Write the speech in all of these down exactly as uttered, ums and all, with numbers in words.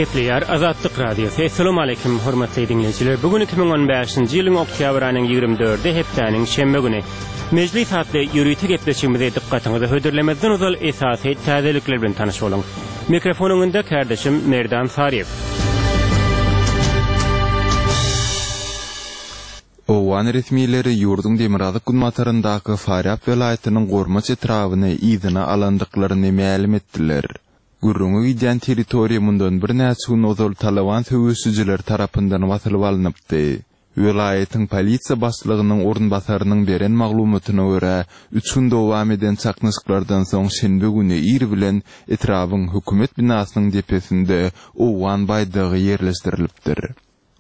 Gepleýär Azatlyk Radiosy. Essalamu aleýkum hormatly diňleýjiler. Bu gün iki müň on bäşinji ýylyň oktýabr aýynyň ýigrimi dördi hepdäniň şenbe güni. Mejlis atly ýörite gepleşigimizi dykgatyňyza hödürlemezden ozal esasy täzelikler bilen tanyş boluň. Mikrofon öňünde kärdeşim Merdan Saryýew. Owgan resmileri ýurduň demirgazyk günbataryndaky Farýab welaýatynyň Gormaç etrabyny yzyna alandyklaryny mälim etdiler. Gürrüňi gidýän territoriýa mundan birnäçe gün ozal Talyban söweşijileri tarapyndan basylyp alnypdy. Welaýatyň polisiýa başlygynyň orunbasarynyň beren maglumatyna görä, üç gün dowam eden çaknyşyklardan soň şenbe güni ir bilen etrabyň hökümet binasynyň depesinde owgan baýdagy ýerleşdirilipdir.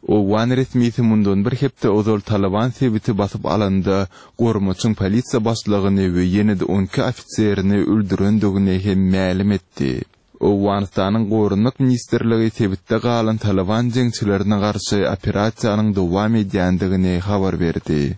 Owgan resmisi mundan bir hepde ozal Talyban sebiti basyp alanda Gormaçyň polisiýa başlygyny we ýene-de on iki ofiserini öldürendigini hem mälim etdi. Owganystanyň Goranmak ministrligi sebitde galan Talyban jeňçilerine garşy operasiýanyň dowam edýändigini habar berdi.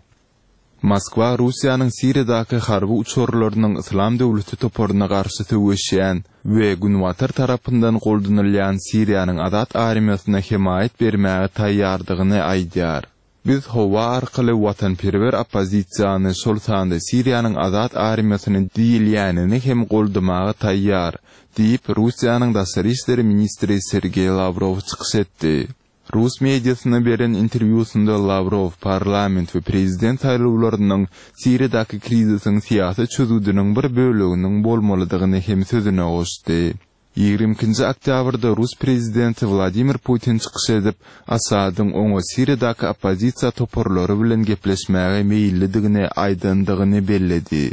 Moskwa Russiýanyň Siriýadaky harby uçarlarynyň Yslam döwleti toparyna garşy söweşýän we Günbatar tarapyndan goldanylýan Siriýanyň Azat armiýasyna hemaýat bermäge taýýardygyny aýdýar. Biz howa arkaly watanperwer oppozisiýany, şol sanda Siriýanyň Azat armiýasyny diýilýänini hem goldamaga taýýar, diýip, Russiýanyň daşary işler ministri Sergeý Lawrow çykyş etdi. Rus mediasyna beren interwýusynda Lawrow parlament we prezident saýlawlarynyň Siriýadaky krizisiň syýasy çözgüdiniň bir böleginiň bolmalydygyny hem sözüne goşdy. Ýigrimi ikinji oktýabrda rus prezidenti Wladimir Putin çykyş edip, Assadyň oňa Siriýadaky oppozisiýa toparlary bilen gepleşmäge meýillidigini aýdandygyny belledi.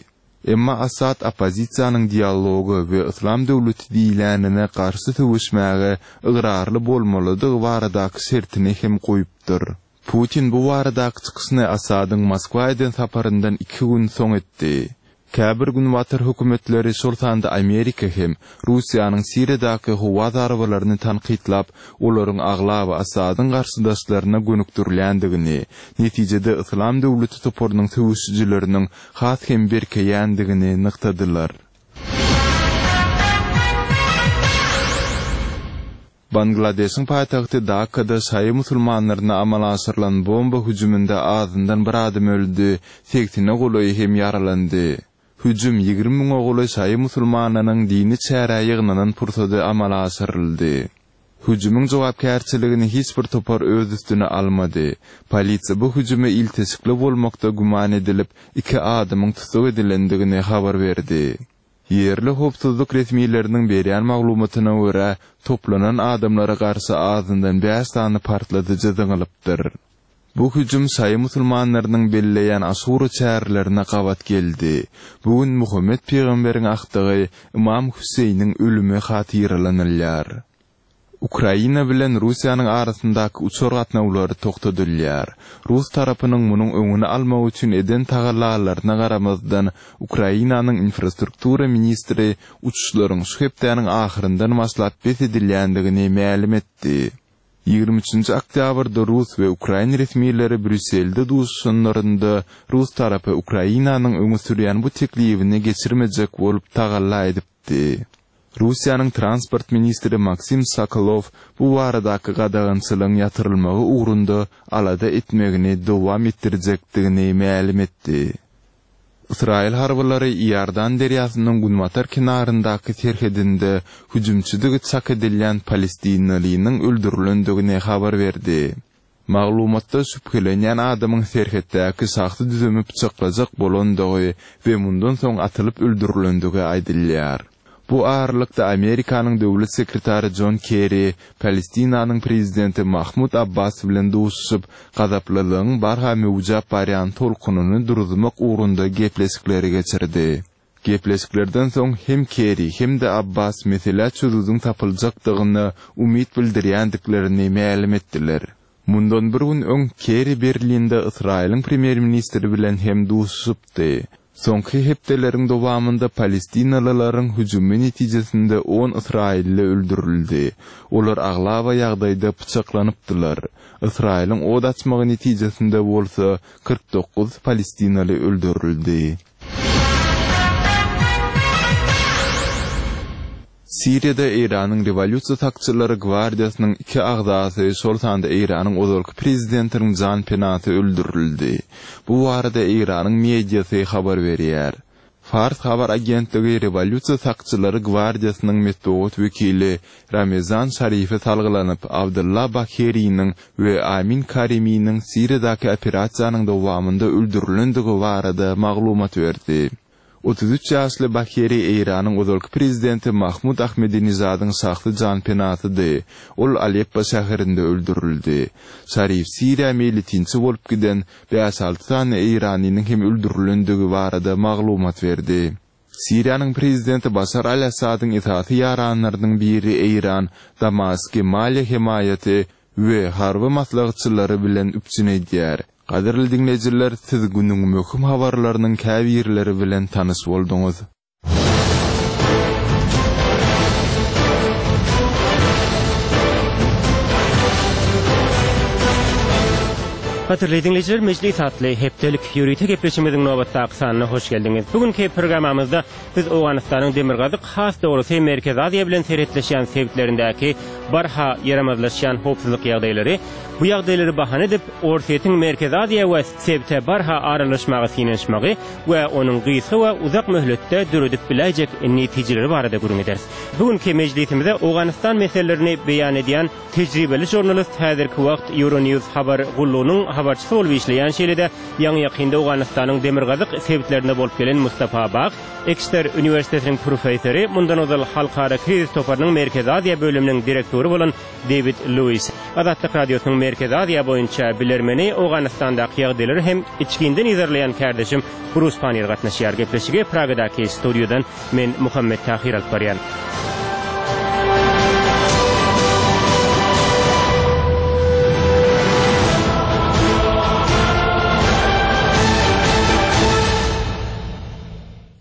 Emma Assad oppozisiýanyň dialoga we Yslam döwleti diýilänine garşy söweşmäge ygrarly bolmalydygy baradaky şertini hem goýupdyr. Putin bu baradaky çykyşyny Assadyň Moskwa eden saparyndan iki gün soň etdi. Käbir günbatar hökümetleri, şol sanda Amerika hem, Russiýanyň Siriýadaky howa zarbalaryny tankytlap, olaryň aglaba Assadyň garşydaşlaryna gönükdirilýändigini, netijede Yslam döwleti toparynyň söweşijileriniň has hem berkeýändigini nygtadylar. Bangladeşiň paýtagty Dakada şaýy musulmanlaryna amala aşyrylan bomba hüjüminde azyndan bir adam öldi, segsene golaýy hem ýaralandy. Hüjüm ýigrimi müňe golaý şaýy musulmanynyň dini çärä ýygnanan pursady amala aşyryldy. Hüjümiň jogapkärçiligini hiç bir topar öz üstüne almady. Polisiýa bu hüjüme ilteşikli bolmakda güman edilip, iki adamyň tussag edilendigini habar berdi. Ýerli howpsuzlyk resmileriniň berýän maglumatyna görä, toplanan adamlara garşy azyndan bäş sany partladyjy zyňylypdyr. Bu hüjüm şaýy musulmanlarynyň belleýän Aşura çärelerine gabat geldi. Bu gün Muhammet pygamberiň agtygy Ymam Hüseýniň ölümi hatyralanylýar. Ukraina bilen Russiýanyň arasyndaky uçar gatnawlary togtadylýar. Rus tarapynyň munuň öňüni almak üçin eden tagallalaryna garamazdan, Ukrainanyň infrastruktura ministri uçuşlaryň şu hepdäniň ahyryndan başlap bes edilýändigini mälim etdi. Ýigrimi üçünji oktýabrda rus we ukrain resmileri Brýusselde duşuşanlarynda rus tarapy Ukrainanyň öňe sürýän bu teklibini geçirmejek bolup tagalla edipdi. Russiýanyň transport ministri Maksim Sokolow bu baradaky gadagançylygyň ýatyrylmagy ugrunda alada etmegini dowam etdirjekdigini mälim etdi. Ysraýyl harbylary Iordan derýasynyň günbatar kenaryndaky serhedinde hüjümçidigi çak edilýän palestinalynyň öldürilendigini habar berdi. Maglumatda şübhelenýän adamyň serhetdäki şahsy düzümi pyçaklajak bolandygy we mundan soň atylyp öldürilendigi aýdylýar. Bu aralykda Amerikanyň döwlet sekretary Jon Kerri Palestinanyň prezidenti Mahmud Abbas bilen duşuşyp, gazaplylygyň barha möwjäp barýan tolkunyny duruzmak ugrunda gepleşikleri geçirdi. Gepleşiklerden soň hem Kerri hem-de Abbas meselä çözgüdiň tapyljakdygyna umyt bildirýändiklerini mälim etdiler. Mundan bir gün öň Kerri Berlinde Ysraýylyň premýer-ministri bilen hem duşuşypdy. Soňky hepdeleriň dowamynda palestinalylaryň hüjümi netijesinde on ysraýylly öldürildi. Olar aglaba ýagdaýda pyçaklanypdylar. Ysraýylyň od açmagy netijesinde bolsa kyrk dokuz palestinaly öldürildi. Siriýada Eýranyň Rewolýusiýa sakçylary gwardiýasynyň iki agzasy, şol sanda Eýranyň ozalky prezidentiniň janpenasy öldürildi. Bu barada Eýranyň mediasy habar berýär. Fars habar agentligi Rewolýusiýa sakçylary gwardiýasynyň metbugat wekili Ramezan Şarife salgylanyp, Abdylla Bakeriniň we Amin Kariminiň Siriýadaky operasiýanyň dowamynda öldürilendigi barada maglumat berdi. Otuz üç ýaşly Bakeri Eýranyň ozalky prezidenti Mahmud Ahmedinejadyň şahsy janpenasydy. Ol Aleppo şäherinde öldürildi. Şarif Siriýa meýletinçi bolup giden bäş-alty sany eýranlynyň hem öldürilendigi barada maglumat berdi. Siriýanyň prezidenti Başar al-Assadyň esasy ýaranlarynyň biri Eýran Damasky maliýe hemaýaty we harby maslahatçylary bilen üpjün edýär. Gadyrly diňleýjiler, siz günüň möhüm habarlarynyň käbirleri bilen tanyş bolduňyz. Gadyrly diňleýjiler, Mejlis atly hepdelik ýörite gepleşigimiziň nobatdaky sanyna hoş geldiňiz. Bu günki programmamyzda biz Owganystanyň demirgazyk, has dogrusy Merkezi Aziýa bilen serhetleşýän sebitlerindäki barha ýaramazlaşýan howpsuzlyk ýagdaýlary, bu ýagdaýlary bahana edip, Orsýetiň Merkezi Aziýa we sebite barha aralaşmaga synanyşmagy we onuň gysga we uzak möhletde döredip biläýjek netijeleri barada gürrüň ederis. Bu günki mejlisimize Owganystan meselelerini beýan edýän tejribeli žurnalist, häzirki wagt Euronews habar gullugynyň habarçysy bolup işleýän, şeýle-de ýaňy-ýakynda Owganystanyň demirgazyk sebitlerinde bolup gelen Mustafa Bag, Ekster uniwersitetiniň professory, mundan ozal Halkara krizis toparynyň Merkezi Aziýa bölüminiň direktory bolan Dewid Lewis, Azatlyk Radiosynyň Merkezi Aziýa boýunça bilermeni, Owganystandaky ýagdaýlary hem içginden yzarlaýan kärdeşim Brus Panniýer gatnaşýar. Gepleşige Pragadaky studiýadan men Muhammet Tahyr alyp barýan.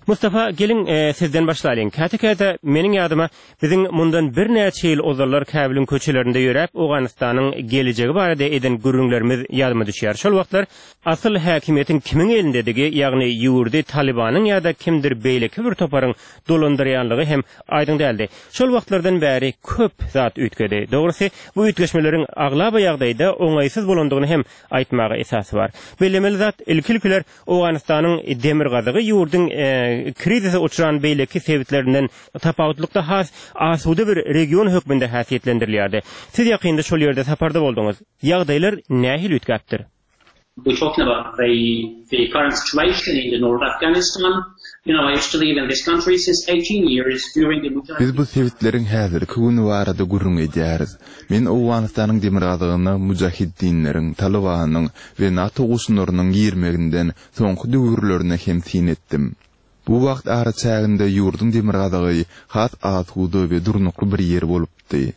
Mustafa, geliň, sizden başlalyň. Käte-käte meniň ýadyma biziň mundan birnäçe ýyl ozallar Käbiliň köçelerinde ýöräp, Owganystanyň gelejegi barada eden gürrüňlerimiz ýadyma düşýär. Şol wagtlar asyl häkimiýetiň kimiň elindedigi, ýagny ýurdy Talybanyň ýa-da kimdir beýleki bir toparyň dolandyrýanlygy hem aýdyň däldi. Şol wagtlardan bäri köp zat üýtgedi. Dogrusy, bu üýtgeşmeleriň aglaba ýagdaýda oňaýsyz bolandygyny hem aýtmaga esas bar. Bellemeli zat, ilki-ilkiler Owganystanyň demirgazygy ýurduň krizise uçran beýleki sebitlerinden tapawutlykda has asuda bir region hökmünde häsiýetlendirilýärdi. Siz ýakynda şol ýerde saparda bolduňyz. Ýagdaýlar nähili üýtgäpdir? We're talking about the, the current situation in the North Afghanistan. You know, I used to live in this country since eighteen years during the Mujahideen. Biz bu sebitleriň häzirki güni barada gürrüň edýäris. Men Owganystanyň demirgazygyna mujahiddinleriň, Talybanyň we NATO goşunlarynyň girmeginden soňky döwürlerine hem syn etdim. Bu wagt araçäginde ýurduň demirgazygy has asuda we durnukly bir ýer bolupdy.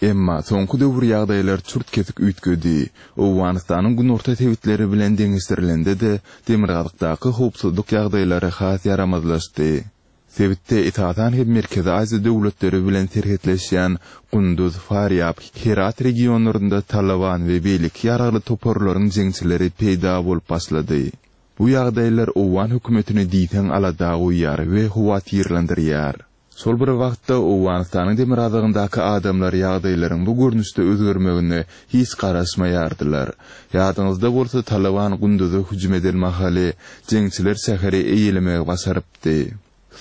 Emma soňky döwür ýagdaýlar çürt-kesik üýtgedi. Owganystanyň günorta sebitleri bilen deňeşdirilende-de demirgazykdaky howpsuzlyk ýagdaýlary has ýaramazlaşdy. Sebitde esasan hem Merkezi Aziýa döwletleri bilen serhetleşýän Gunduz, Farýab, Herat regionlarynda Taliban we beýleki ýaragly toparlaryň jeňçileri peýda bolup başlady. Bu ýagdaýlar owgan hökümetini diýseň alada goýýar we howatyrlandyrýar. Şol bir wagtda Owganystanyň demirgazygyndaky adamlar ýagdaýlaryň bu görnüşde özgermegine hiç garaşmaýardylar. Ýadyňyzda bolsa Taliban Gunduza hüjüm eden mahaly jeňçiler şäheri eýelemegi başarypdy.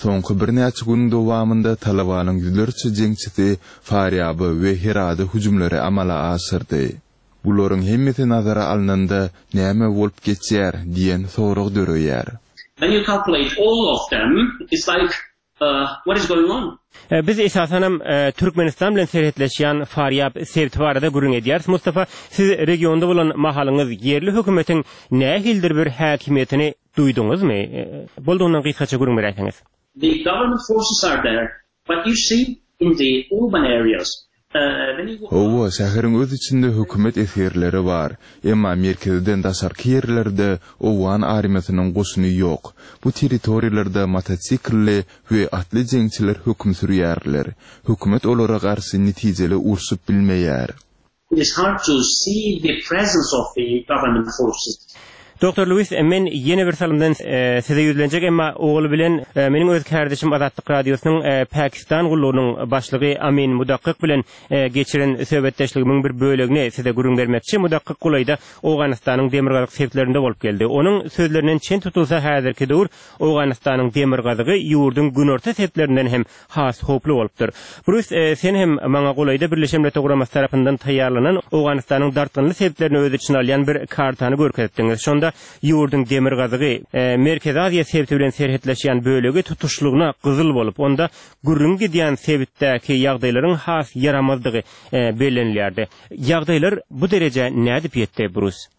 Soňky birnäçe günüň dowamynda Talibanyň ýüzlerçe jeňçisi Farýaba we Herada hüjümleri amala aşyrdy. Bularyň hemmesi nazara alnanda näme bolup geçýär diýen sorag döreýär. When you calculate all of them, it's like, uh, what is going on? Biz esasanam Türkmenistan bilen serhetleşýän Farýab sebiti barada gürrüň edýäris. Mustafa, siz regionda bolan mahalyňyz ýerli hökümetiň nähilidir bir häkimiýetini duýduňyzmy? Boldugyndan gysgaça gürrüň beräýseňiz. The government forces are there, but you see in the urban areas, Hawa, şäheriň öz içinde hökümet esgerleri bar. Emma merkezden daşarky ýerlerde owgan armiýasynyň goşuny ýok. Bu territoriýalarda motosiklli we atly jeňçiler höküm sürýärler. Hökümet olara garşy netijeli urşup bilmeýär. It is hard to see the presence of the government forces. Doktor Lewis, men ýene bir salymdan e, size ýüzlenjek, emma ogly bilen e, meniň öz kardeşim Azatlyk Radiosynyň e, Pakistan gullugynyň başlygy Amin Mudakkyk bilen e, geçiren söhbetdeşligimiň bir bölegini size gürrüň bermekçi. Mudakkyk golaýda Owganystanyň demirgazyk sebitlerinde bolup geldi. Onuň sözlerinden çen tutulsa häzirki döwür Owganystanyň demirgazygy ýurduň günorta sebitlerinden hem has howply bolupdyr. Bruce, e, sen hem maňa golaýda Birleşen Milletler Guramasy tarapyndan taýýarlanan Owganystanyň dartgynly sebitlerini öz içine alýan bir kartany görkezdiňiz. Şonda ýurduň demirgazygy e, Merkezi Aziýa sebiti bilen serhetleşýän bölegi tutuşlygyna gyzyl bolup, onda gürrüň gidýän sebitdäki ýagdaýlaryň has ýaramazdygy e, bellenilýärdi. Ýagdaýlar bu derejä nädip ýetdi, Bruce?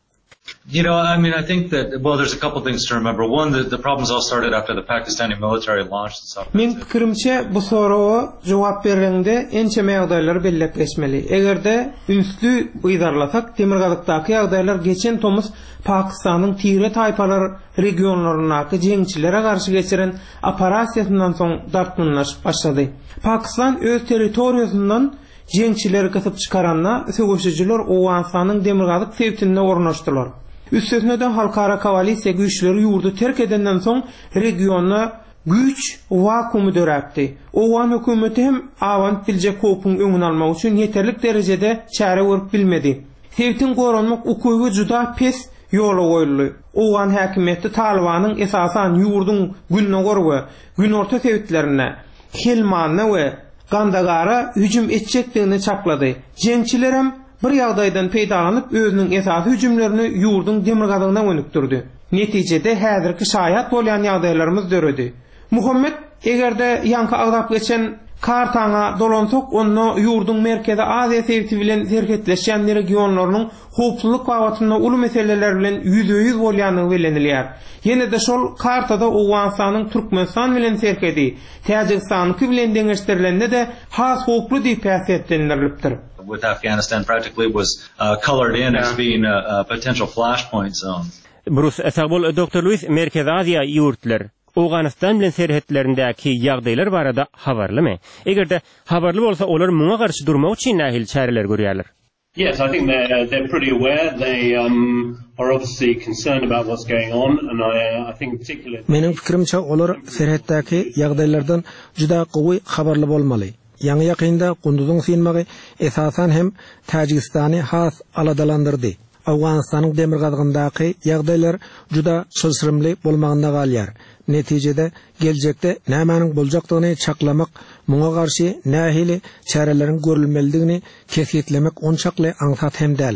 You know, I mean, I think that, well, there's a couple things to remember. One, the, the problems all started after the Pakistani military launched this Men pikirimçe bu soraga jogap berende ençeme ýagdaýlary belläp geçmeli. Eger-de ünsli yzarlasak, Demirgazykdaky ýagdaýlar geçen tomus Pakistanyň tire taýpalar regionlaryndaky jeňçilere garşy geçiren operasiýasyndan soň dartgynlaşyp başlady. Pakistan öz territoriýasyndan jeňçileri gysyp çykaranda söweşijiler Owganystanyň Demirgazyk sebitinde ornaşdylar. Üstesine de halkara koalisiýa güýçleri ýurdy terk edenden soň regionda güýç wakuumy döräpdi. Owgan hökümeti hem abanyp biljek howpuň öňüni almak üçin ýeterlik derejede çäre görüp bilmedi. Sebitiň goranmak ukyby juda pes ýola goýuldy. Owgan häkimiýeti Talibanyň esasan ýurduň gündogar we günorta sebitlerinde Helmanda we Kandagara hüjüm etjekdigini çaklady. Jeňçilerem bir ýagdaýdan peýdalanyp özüniň esasy hüjümlerini ýurduň demirgazygyna gönükdirdi. Netijede häzirki şaýat bolýan ýagdaýlarymyz döredi. Muhammet eger-de ýaňky agzap geçen kartaňa dolansak, onda ýurduň Merkezi Aziýa sebiti bilen serhetleşýän regionlarynyň howpsuzlyk babatynda uly meseleler bilen ýüzbe-ýüz bolýandygy bellenilýär. Ýene-de şol kartada Owganystanyň Türkmenistan bilen serhedi, Täjigistanyňky bilen deňeşdirilende-de has howply diýip häsiýetlendirilipdir. With Afghanistan practically was uh, colored in as being a, a potential flashpoint zone. Bruce, sag bol, Doktor Lewis, Merkezi Aziýa ýurtlar Owganystan bilen serhetlerindäki ýagdaýlar barada habarlymy? Eger-de habarly bolsa, olar muňa garşy durmak üçin nähili çäreler görýärler? Yes, I think they're they're pretty aware. They um, are obviously concerned about what's going on, and I, I think in particular. Meniň pikirimçe olar serhetdäki ýagdaýlardan juda gowy habarly bolmaly. Ýaňy ýakynda Kunduzyň synmagy esasan hem Täjigistany has aladalandyrdy. Owganystanyň demirgazygyndaky ýagdaýlar juda çylşyrymly bolmagynda galýar. Netijede geljekde nämäniň boljakdygyny çaklamak, muňa garşy nähili çäreleriň görülmelidigini kesgitlemek onçakly aňsat hem däl.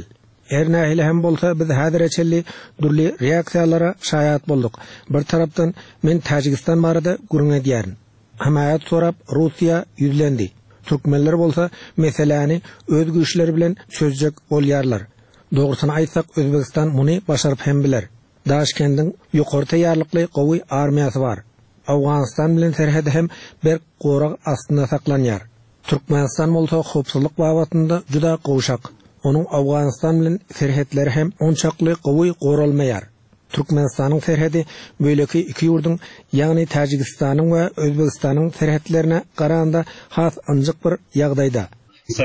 Her nähili hem bolsa biz häzire çenli dürli reaksiýalara şaýat bolduk. Bir tarapdan men Täjigistan barada gürrüň edýärin. Hemaýat sorap Russiýa ýüzlendi. Türkmenler bolsa meseläni öz güýçleri bilen çözjek bolýarlar. Dogrusyny aýtsak Özbegistan muny başaryp hem biler. Daşkendiň ýokary taýýarlykly gowy armiýasy bar. Owganystan bilen serhedi hem berk gorag astynda saklanýar. Türkmenistan bolsa howpsuzlyk babatynda juda gowşak. Onuň Owganystan bilen serhetleri hem onçakly gowy goralmaýar. Türkmenistanyň serhedi beýleki iki ýurduň, ýagny Täjigistanyň we Özbegistanyň serhetlerine garanda has ynjyk bir ýagdaýda. So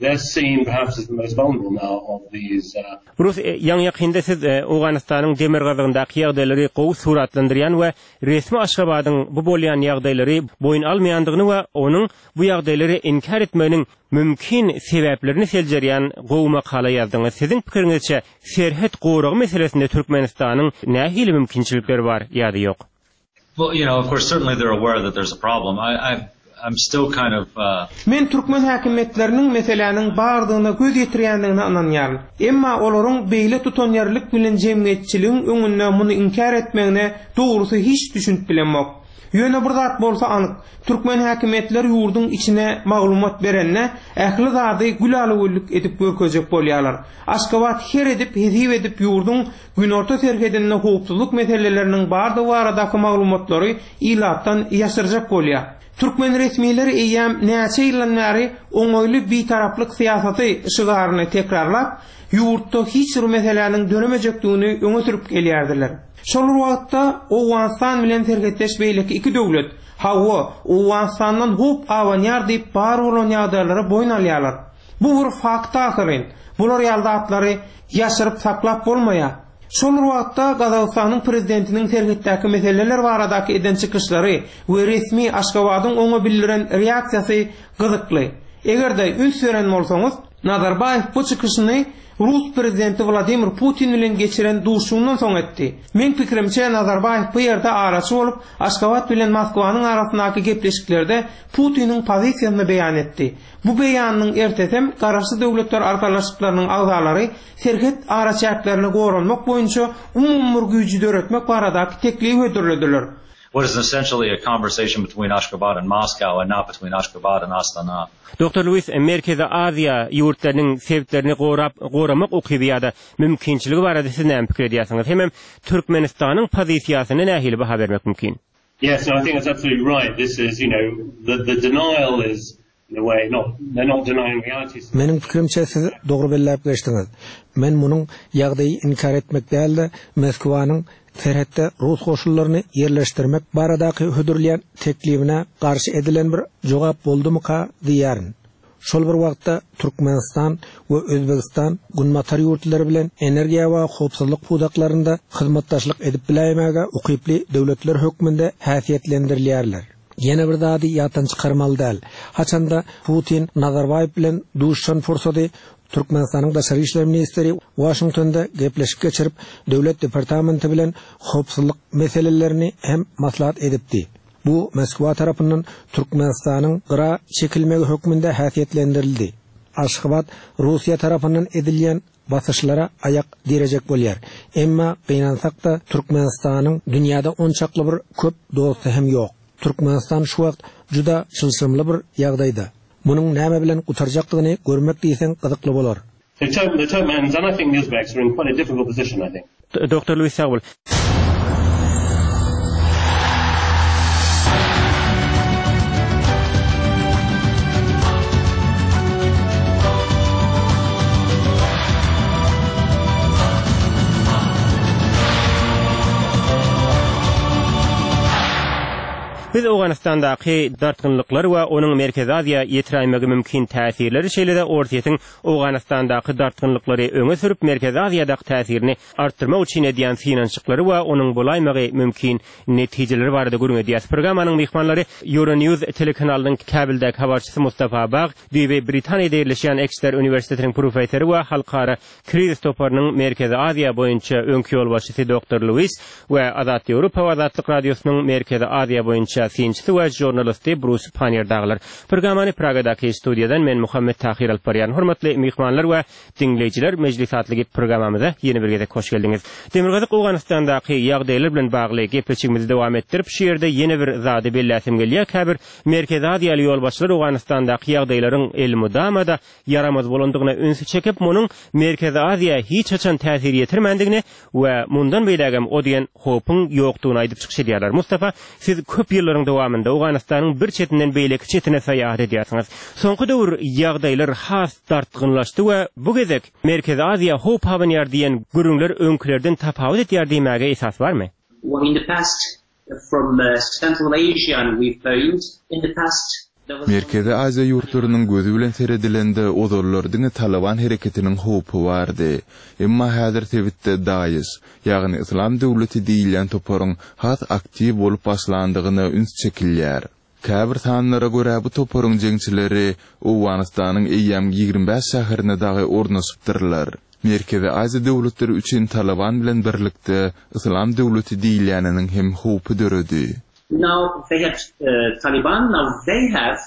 they're seen perhaps as the most vulnerable now of these. Uh, Bruce, e, ýaňy ýakynda siz e, Owganystanyň demirgazygyndaky ýagdaýlary gowy suratlandyrýan we resmi Aşgabadyň bu bolýan ýagdaýlary boýun almaýandygyny we onuň bu ýagdaýlary inkär etmeginiň mümkin sebäplerini seljerýän gowy makala ýazdyňyz. Siziň pikiriňizçe serhet goragy meselesinde Türkmenistanyň nähili mümkinçilikleri bar ýa-da ýok? Well, you know, of course, certainly they're aware that there's a problem. I, I I'm still kind of uh, Men türkmen häkimiýetleriniň meseläniň bardygyna göz ýetirýändigine ynanýaryn. Emma olaryň beýle tutanýerlik bilen jemgyýetçiligiň öňünde muny inkär etmegine dogrusy hiç düşünip bilemok. Ýöne bir zat bolsa anyk, türkmen häkimiýetleri ýurduň içine maglumat berende ähli zady gülala-güllük edip görkezjek bolýarlar. Aşgabat her edip hesip edip ýurduň günorta serhedinde howpsuzlyk meseleleriniň bardygy baradaky maglumatlary ilatdan ýaşyrjak bolýar. Türkmen resmileri eýýäm näçe ýyldan bäri oňaýly bitaraplyk syýasaty şygaryny tekrarlap, ýurtda hiç bir meseläniň döremejekdigini öňe sürüp gelýärdiler. Şol bir wagtda Owganystan bilen serhetdeş beýleki iki döwlet, hawa, Owganystandan howp abanýar diýip bar bolan ýagdaýlary boýun alýarlar. Bu bir fakt ahyryn. Bular ýaly zatlary ýaşyryp saklap bolmaýar. Şol wagtda Gazagystanyň prezidentiniň serhetdäki meseleler baradaky eden çykyşlary we resmi Aşgabadyň oňa bildiren reaksiýasy gyzykly. Eger-de üns beren bolsaňyz, Nazarbaýew bu çykyşyny Rus prezidenti Wladimir Putin bilen geçiren duşuşygyndan soň etdi. Men pikirimçe Nazarbaýew bu ýerde araçy bolup, Aşgabat bilen Moskwanyň arasyndaky gepleşiklerde Putiniň pozisiýasyny beýan etdi. Bu beýanynyň ertesem Garaşsyz Döwletler Arkalaşyklarynyň agzalary serhet araçäklerini goranmak boýunça umumy bir güýji döretmek baradaky teklibi hödürlediler. What is essentially a conversation between Ashgabat and Moscow and not between Ashgabat and Astana. Doktor Lewis, Merkezi Aziýa ýurtlarynyň sebitlerini gorap, goramak ukyby ýa-da mümkinçiligi barada siz näme pikir edýärsiňiz? Hemem Türkmenistanyň pozisiýasyna nähili baha bermek mümkin? Yes, no, I think that's absolutely right. This is, you know, the, the denial is, in a way, not, they're not denying reality. Meniň pikirimçe siz dogry belläp geçdiňiz. Men munuň ýagdaýy inkär etmek däl-de, Moskwanyň serhetde rus goşunlaryny ýerleşdirmek baradaky hödürleýän teklibine garşy edilen bir jogap boldumyka diýýärin. Şol bir wagtda Türkmenistan we Özbegistan Günbatar ýurtlary bilen energiýa we howpsuzlyk pudaklarynda hyzmatdaşlyk edip biläýmäge ukyply döwletler hökmünde häsiýetlendirilýärler. Ýene bir zady ýatdan çykarmaly däl. Haçanda Putin Nazarbaýew bilen duşuşan pursady Türkmenistanyň daşary işler ministri Washingtonda gepleşik geçirip, döwlet departamenti bilen howpsuzlyk meselelerini hem maslahat edipdi. Bu Moskwa tarapyndan Türkmenistanyň gyra çekilmegi hökmünde häsiýetlendirildi. Aşgabat Russiýa tarapyndan edilýän basyşlara aýak direjek bolýar. Emma gynansak-da Türkmenistanyň dünýäde onçakly bir köp dosty hem ýok. Türkmenistan şu wagt juda çylşyrymly bir ýagdaýda. Munuň näme bilen gutarjakdygyny görmek diýseň gyzykly bolar. The, Turk, the Turkmens and I think the Uzbeks are in quite a difficult position, I think. Doktor Lewis sag bol. Biz Owganystandaky dartgynlyklar we onuň Merkezi Aziýa ýetiräýmegi mümkin täsirleri şeýle-de Orsýetiň Owganystandaky dartgynlyklary öňe sürüp Merkezi Aziýadaky täsirini artdyrmak üçin edýän synanyşyklary we onuň bolaýmagy mümkin netijeleri barada gürrüň edýäs. Programmanyň myhmanlary Euronews telekanalynyň Kabuldäki habarçysy Mustafa Bag, düýbi Britaniýada ýerleşýän Exeter uniwersitetiniň professory we halkara krizis toparynyň Merkezi Aziýa boýunça öňki ýolbaşçysy Doktor Lewis we Azat Ýewropa we Azatlyk Radiosynyň Merkezi Aziýa boýunça synçysy we žurnalisti Brus Pannier dagylar. Programmany Pragadaky studiýadan men Muhammet Tahir alyp barýan. Hormatly myhmanlar we diňleýjiler, Mejlis atly programmamyza ýene bir gezek hoş geldiňiz. Demirgazyk Owganystandaky ýagdaýlar bilen bagly gepleşigimizi dowam etdirip, şu ýerde ýene bir zady belläsim gelýär. Käbir Merkezi Aziýaly ýolbaşçylar Owganystandaky ýagdaýlaryň elmydama-da ýaramaz bolandygyna ünsi çekip, munuň Merkezi Aziýa hiç haçan täsir ýetirmändigini we mundan beýlägem o diýen howpuň ýokdugyny aýdyp çykyş edýärler. Mustafa, siz köp ýyllaryň dowamynda Owganystanyň bir çetinden beýleki çetine syýahat edýärsiňiz. Soňky döwür ýagdaýlar has dartgynlaşdy we bu gezek Merkezi Aziýa howp abanýar diýen gürrüňler öňkülerden tapawut edýär diýmäge esas barmy? Well, in the past, from uh, Central Asia, and we've found in the past there was Merkezi Aziýa ýurtlarynyň gözi bilen seredilende ozallar diňe Taliban hereketiniň howpy bardy. Emma häzir sebitde DAEŞ, ýagny Islam döwleti diýilýän toparyň has aktiw bolup başlandygyna üns çekilýär. Käbir sanlara görä bu toparyň jeňçileri Owganystanyň eýýäm ýigrimi bäş şäherine dagy ornaşypdyrlar. Merkezi Aziýa döwletleri üçin Taliban bilen birlikde Islam döwleti diýilýäniniň hem howpy döredi. Now they have uh, Taliban, now they have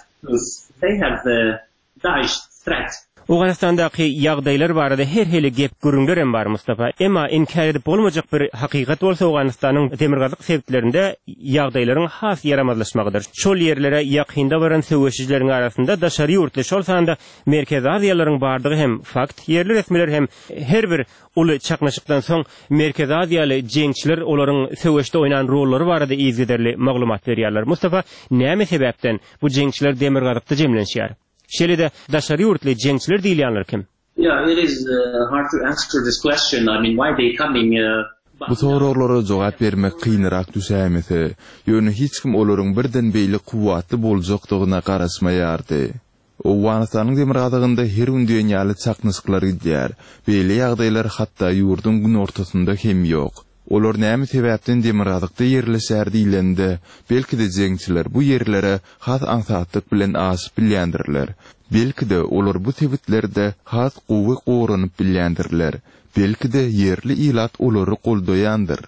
they have the Daesh threat. Owganystandaky ýagdaýlar barada her hili gep gürrüňler hem bar Mustafa. Emma inkär edip bolmajak bir hakykat bolsa Owganystanyň demirgazyk sebitlerinde ýagdaýlaryň has ýaramazlaşmagydyr. Şol ýerlere ýakynda baran söweşijileriň arasynda daşary ýurtly şol sanda Merkezi Aziýalaryň bardygy hem fakt. Ýerli resmiler hem her bir uly çaknyşykdan soň Merkezi Aziýaly jeňçiler olaryň söweşde oýnan rollary barada yzygiderli maglumat berýärler. Mustafa, näme sebäpden bu jeňçiler demirgazykda jemlenişýär? Şeýle-de daşary ýurtly jeňçiler diýilýänler kim? Yeah, it is uh, hard to answer this question. I mean, why they coming? Uh, Bu soraglara jogap bermek kynrak düşäýmese, ýöne hiç kim olaryň birden beýle kuwwatly boljakdygyna garaşmaýardy. Owganystanyň demirgazygynda her gün diýen ýaly çaknyşyklar gidýär. Beýle ýagdaýlar hatda ýurduň günortasynda hem ýok. Olar näme sebäpden demirgazykda ýerleşýär diýlende, belki-de jeňçiler bu ýerlere has aňsatlyk bilen aşyp bilýändirler. Belki-de olar bu sebitlerde has gowy goranyp bilýändirler. Belki-de ýerli ilat olary goldaýandyr.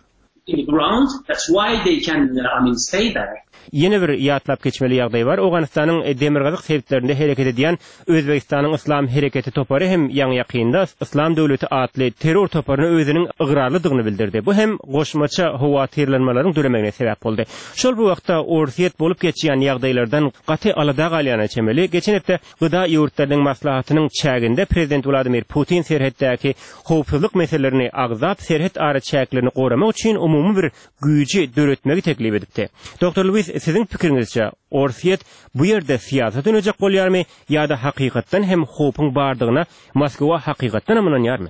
In the ground, that's why they can, uh, I mean, stay there. Ýene bir ýatlap geçmeli ýagdaý bar. Owganystanyň demirgazyk sebitlerinde hereket edýän Özbegistanyň Yslam hereketi topary hem ýaňy ýakynda Yslam döwleti atly terror toparyna özüniň ygrarlydygyny bildirdi. Bu hem goşmaça howatyrlanmalaryň döremegine sebäp boldy. Şol bir wagtda Orsýet bolup geçýän ýagdaýlardan gaty alada galýana çemeli. Geçen hepde Gyda ýurtlarynyň maslahatynyň çäginde prezident Wladimir Putin serhetdäki howpsuzlyk meselelerini agzap, serhet araçäklerini goramak üçin umumy bir güýji döretmegi teklip edipdi. Doktor Lewis, siziň pikiriňizçe Orsýet bu ýerde syýasat oýnajak bolýarmy ýa-da hakykatdan hem howpuň bardygyna Moskwa hakykatdan hem ynanýarmy?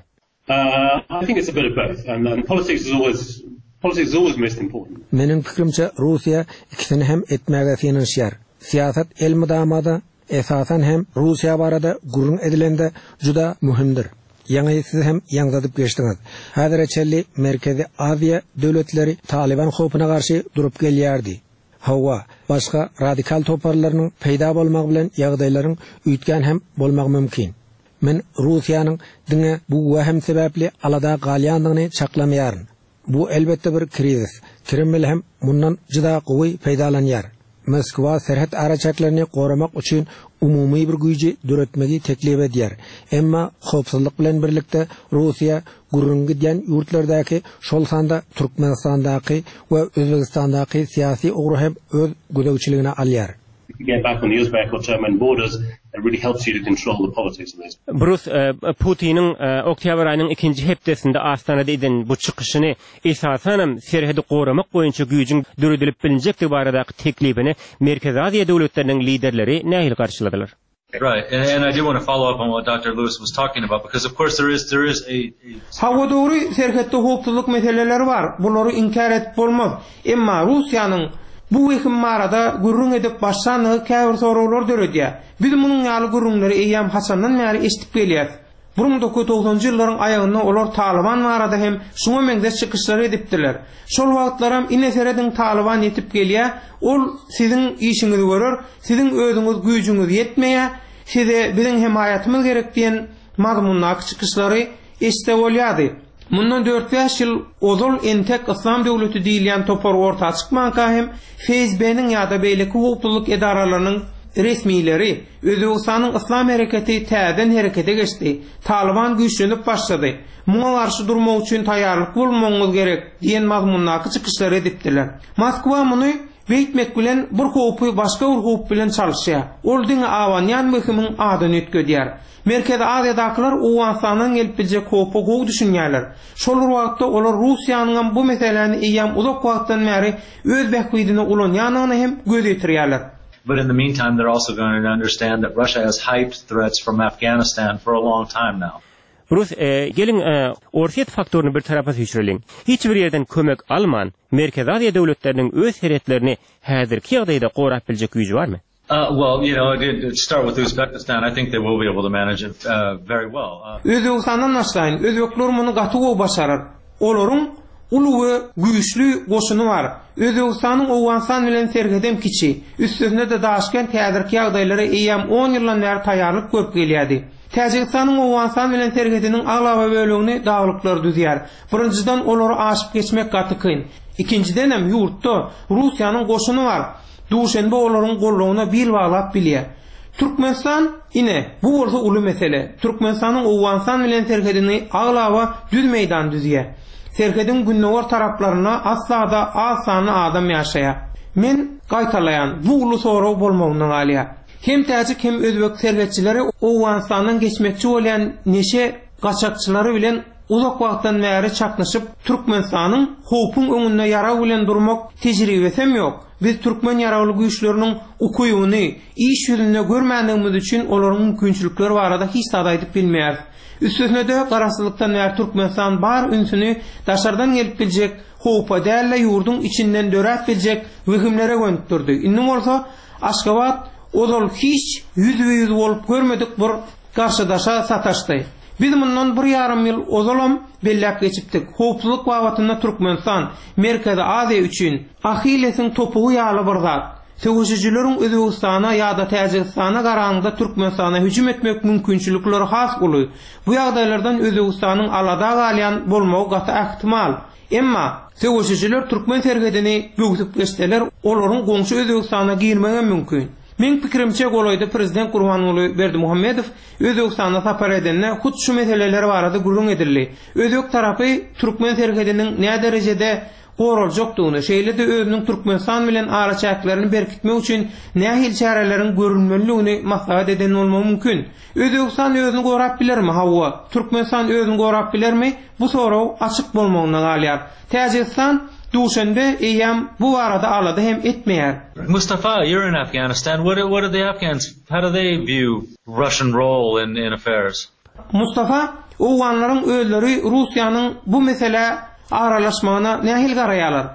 Uh, I think it's a bit of both, and, and politics is always politics is always most important. Meniň pikirimçe Russiýa ikisini hem etmäge synanyşýar. Syýasat elmydama-da esasan hem Russiýa barada gürrüň edilende juda möhümdir. Ýaňy siz hem ýaňzydyp geçdiňiz. Häzire çenli Merkezi Aziýa döwletleri Taliban howpuna garşy durup gelýärdi. Hawa, başga radikal toparlarynyň peýda bolmagy bilen ýagdaýlaryň üýtgän hem bolmagy mümkin. Men Russiýanyň diňe bu wehm sebäpli alada galýandygyny çaklamaýaryn. Bu elbetde bir krizis. Kreml hem mundan juda gowy peýdalanýar. Moskwa serhet araçäklerini goramak üçin umumy bir güýji döretmegi teklip edýär. Emma howpsuzlyk bilen birlikde Russiýa gürrüň gidýän ýurtlardaky, şol sanda Türkmenistandaky we Özbegistandaky syýasy ugry hem öz gözegçiligine alýar. If you get back on the Uzbek or Turkmen borders, it really helps you to control the politics of those. Brus e, Putiniň e, oktyabr aýynyň ikinji hepdesinde Astanada eden bu çykyşyny esasanam serhedi goramak boýunça güýjüň döredilip bilinjekdigi baradaky teklibini Merkezi Aziýa döwletleriniň liderleri nähili garşyladylar? Right, and, and I do want to follow up on what Doctor Lewis was talking about, because of course there is there is a, a Hawa dogry serhetde howpsuzlyk meseleleri bar. Bulary inkär edip bolmaz. Emma Russiýanyň bu wehim barada gürrüň edip başlandygy käbir soraglar döredýär. Biz munuň ýaly gürrüňleri eýýäm haçandan bäri eşidip gelýäs. bir müň dokuz ýüz togsanynjy ýyllaryň aýagynda olar Taliban barada hem şuňa meňzeş çykyşlar edipdiler. Şol wagtlaram ine serediň Taliban ýetip gelýär, ol siziň işiňizi görer, siziň özüňiz güýjüňiz ýetmeýär, size biziň hemaýatymyz gerek diýen mazmundaky çykyşlary eşitse bolýardy. Mundan dört-bäş ýyl ozal entek Yslam döwleti diýilýän topar orta çykmanka hem F S B-niň ýa-da beýleki howpsuzlyk edaralarynyň resmileri Özbegistanyň Yslam hereketi täzeden herekete geçdi. Taliban güýçlenip başlady. Muňa garşy durmak üçin taýýarlyk bolmagyňyz gerek diýen mazmundaky çykyşlary edipdiler. Moskwa muny beýtmek bilen bir howpy başga bir howp bilen çalyşýar. Ol diňe abanýan wehimiň adyny üýtgedýär. Merkezi Aziýadakylar Owganystandan gelip biljek howpa gowy düşünýärler. Şol bir wagtda olar Russiýanyň hem bu meseläni eýýäm uzak wagtdan bäri öz bähbidine ulanýandygyny hem göz ýetirýärler. But in the meantime, they're also going to understand that Russia has hyped threats from Afghanistan for a long time now. Brus, e, geliň e, Orsýet faktoryny bir tarapa süýşüreliň. Hiç bir ýerden kömek alman, Merkezi Aziýa döwletleriniň öz serhetlerini häzirki ýagdaýda gorap biljek güýji barmy? Uh, well, you know, to start with Uzbekistan, I think they will be able to manage it uh, very well. Uh, Özbegistandan başlaýyn. Özbekler muny gaty gowy başarar. Olaryň uly we güýçli goşuny bar. Özbegistanyň Owganystan bilen serhedem kiçi. Üstesine de Daşkent häzirki ýagdaýlara eýýäm on ýyldan bäri taýýarlyk görüp gelýärdi. Täjigistanyň Owganystan bilen serhediniň aglaba bölegini daglyklar düzýär. Birinjiden olary aşyp geçmek gaty kyn. Ikinjiden hem ýurtda Russiýanyň goşuny bar. Duşenbe olaryň gollugyna bil baglap bilýär. Türkmenistan ine bu bolsa uly mesele. Türkmenistanyň Owganystan bilen serhedini aglaba düz meýdan düzýär. Serhediň gündogar taraplaryna asla-da az sanly adam ýaşaýar. Men gaýtalaýan bu uly sorag bolmagyndan galýar. Hem täjik hem özbek serhetçileri Owganystandan geçmekçi bolýan neşe gaçakçylary bilen uzak wagtdan bäri çaknyşyp, Türkmenistanyň howpuň öňünde ýarag bilen durmak tejribesi hem ýok. Biz türkmen ýaragly güýçleriniň ukybyny iş ýüzünde görmändigimiz üçin olaryň mümkinçilikleri barada hiç zat aýdyp bilmeýäris. Üstesine-de garaşsyzlykdan bäri Türkmenistan bar ünsüni daşardan gelip biljek howpa däl-de ýurduň içinden döräp biljek wehimlere gönükdirdi. Indi bolsa Aşgabat Ozal hiç ýüzbe-ýüz bolup görmedik bir garşydaşa sataşdy. Biz mundan bir ýarym ýyl ozalam belläp geçipdik. Howpsuzlyk babatynda Türkmenistan Merkezi Aziýa üçin Ahillesiň topugy ýaly bir zat. Söweşijileriň Özbegistana ýa-da Täjigistana garanda Türkmenistana hüjüm etmek mümkinçilikleri has uly. Bu ýagdaýlardan Özbegistanyň alada galýan bolmagy gaty ähtimal. Emma söweşijiler türkmen serhedini böwsüp geçseler, olaryň goňşy Özbegistana girmegi mümkin. Meň pikirimçe golaýda prezident Gurbanguly Berdimuhamedow Özbegistana sapar edende hut şu meseleler barada gürrüň edildi. Özbek tarapy türkmen serhediniň nä derejede goraljakdygyny, şeýle-de özüniň Türkmenistan bilen araçäklerini berkitmek üçin nähili çäreleriň görülmelidigini maslahat eden bolmagy mümkin. Özbegistan özüni gorap bilermi? Hawa. Türkmenistan özüni gorap bilermi? Bu sorag açyk bolmagyna galýar. Täjigistan Duşenbe eýýäm bu barada alada hem etmeýär. Mustafa, you're in Afghanistan. What do, what do the Afghans, how do they view Russian role in, in affairs? Mustafa, Owganlaryň özleri Russiýanyň bu meselä aralaşmagyna nähili garaýarlar?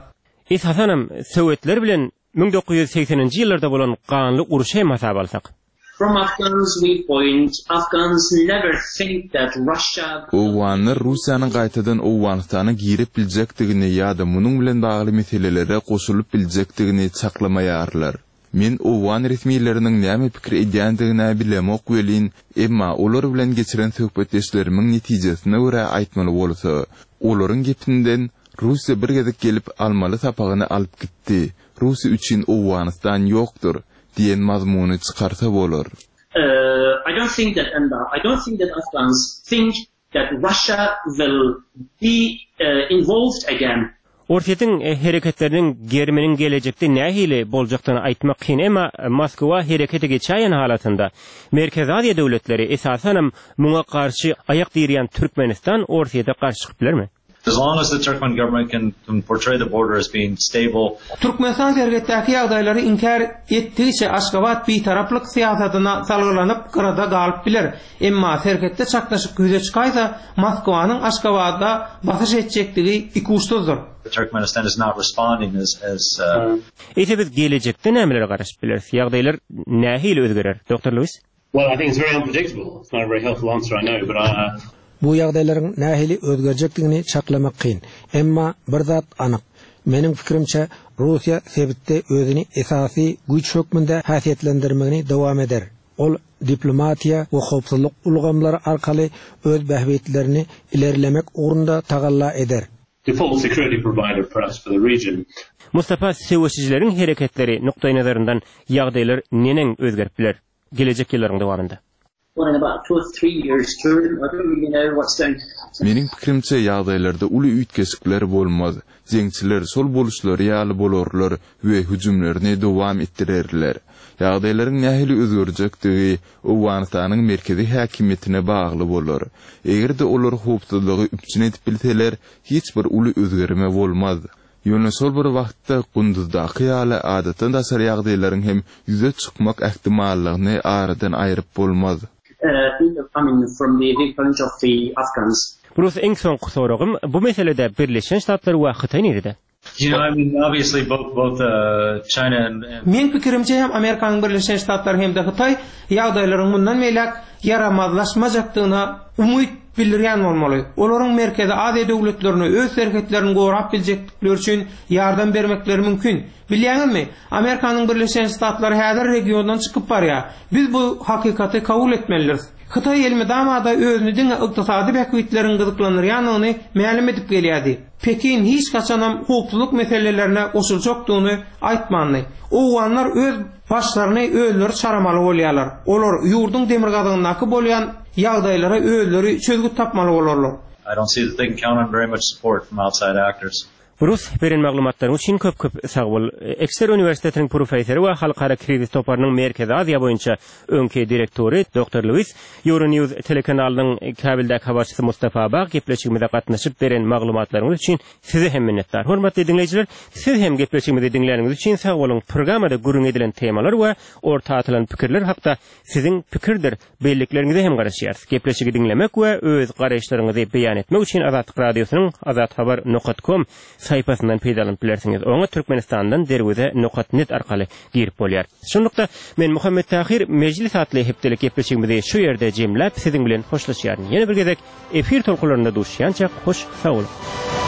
Esasanam Sowetler bilen müň dokuz ýüz segseninji ýyllarda bolan ganly urşy hem hasap alsak. From Afghans viewpoint, Afghans never think that Russia Owganlar Russiýanyň gaýtadan Owganystana girip biljekdigini ýa-da munuň bilen bagly meselelere goşulyp biljekdigini çaklamaýarlar. Men owgan resmileriniň näme pikir edýändigini bilemok welin, emma olar bilen geçiren söhbetdeşlerimiň netijesine görä aýtmaly bolsa, olaryň gepinden Russiýa bir gezek gelip almaly sapagyny alyp gitdi. Russiýa üçin Owganystan ýokdur diýen mazmuny çykarsa bolar. Uh, I don't think that and I don't think that Afghans think that Russia will be uh, involved again. Orsýetiň e, hereketleriniň geriminiň gelejekde nähili boljakdygyny aýtmak kyn, emma Moskwa herekete geçäýen halatynda Merkezi Aziýa döwletleri esasanam muňa garşy aýak direýän Türkmenistan Orsýete garşy çykyp bilermi? As long as the Turkmen government can, can portray the border as being stable, Türkmenistan serhetdäki ýagdaýlary inkär etdigiçe Aşgabat bitaraplyk syýasatyna salgylanyp gyrada galyp biler. Emma serhetde çaknyşyk ýüze çykaýsa Moskwanyň Aşgabatda basyş etjekdigi ikuçsuzdyr. Turkmenistan is not responding as, as uh, Eýse biz gelejekde nämelere garaşyp bileris? Ýagdaýlar nähili özgerer? Doktor Lewis? Well, I think it's very unpredictable. It's not a very helpful answer, I know, but uh, Bu ýagdaýlaryň nähili özgerjekdigini çaklamak kyn. Emma bir zat anyk. Meniň pikirimçe Russiýa sebitde özüni esasy güýç hökmünde häsiýetlendirmegini dowam eder. Ol diplomatiýa we howpsuzlyk ulgamlary arkaly öz bähbitlerini ilerlemek ugrunda tagalla eder. Default security provider perhaps for the region. Mustafa, söweşijileriň hereketleri nukdaý nazaryndan ýagdaýlar neneň özgerip biler gelejek ýyllaryň dowamynda? Well, in about two or three years' term, I don't really know what's going Meniň pikirimçe ýagdaýlarda uly üýtgeşikler bolmaz. Jeňçiler şol boluşlary ýaly bolarlar we hüjümlerini dowam etdirerler. Ýagdaýlaryň nähili özgerjekdigi Owganystanyň merkezi häkimiýetine bagly bolar. Eger-de olar howpsuzlygy üpjün edip bilseler, hiç bir uly özgerme bolmaz. Ýöne şol bir wagtda Gunduzdaky ýaly adatdan daşary ýagdaýlaryň hem ýüze çykmak ähtimallygyny aradan aýryp bolmaz. uh, I mean, from the viewpoint of the Afghans. Bruce, iň soňky soragym bu meselede Birleşen Ştatlar we Hytaý nirede? You know, I mean, obviously both both uh, China and, and Meň pikirimçe hem Amerikanyň Birleşen Ştatlary hem-de Hytaý ýagdaýlaryň mundan beýläk ýaramazlaşmajakdygyna umyt bildirýän bolmaly. Olaryň Merkezi Aziýa döwletlerine öz serhetlerini gorap biljekdikleri üçin ýardam bermekleri mümkin. Bilýäňizmi? Amerikanyň Birleşen Ştatlary häzir regiondan çykyp barýar. Biz bu hakykaty kabul etmelidiris. Hytaý elmydama-da özüni diňe ykdysady bähbitleriň gyzyklandyrýanyny mälim edip gelýärdi. Pekin hiç haçanam howpsuzlyk meselelerine goşuljakdygyny aýtmandy. Owganlar öz başlaryny özleri çaramaly bolýarlar. Olar ýurduň demirgazygyndaky bolýan ýagdaýlara özleri çözgüt tapmaly bolarlar. I don't see that they can count on very much support from outside actors. Bruce, beren maglumatlaryň üçin köp köp sag bol. Exeter Uniwersitetiniň professory we Halkara krizis toparynyň Merkezi Aziýa boýunça öňki direktory Doktor Lewis, Euronews telekanalynyň Kabildäki habarçysy Mustafa Bag gepleşigimize gatnaşyp beren maglumatlaryňyz üçin size hem minnetdar. Hormatly diňleýjiler, siz hem gepleşigimizi diňläniňiz üçin sag boluň. Programmada gürrüň edilen temalar we orta atylan pikirler hakda siziň pikirdir bellikleriňize hem garaşýarys. Gepleşigi diňlemek we öz garaýyşlaryňyzy beýan etmek üçin Azatlyk Radiosynyň azathabar nokta com saýpasyndan peýdalanyp bilersiňiz. Oňa Türkmenistandan derweze nokat net arkaly girip bolýar. Şunlukda men Muhammet Tahir Mejlis atly hepdelik gepleşigimizi şu ýerde jemläp siziň bilen hoşlaşýaryn. Ýene bir gezek efir tolkunlarynda duşýança hoş sag boluň.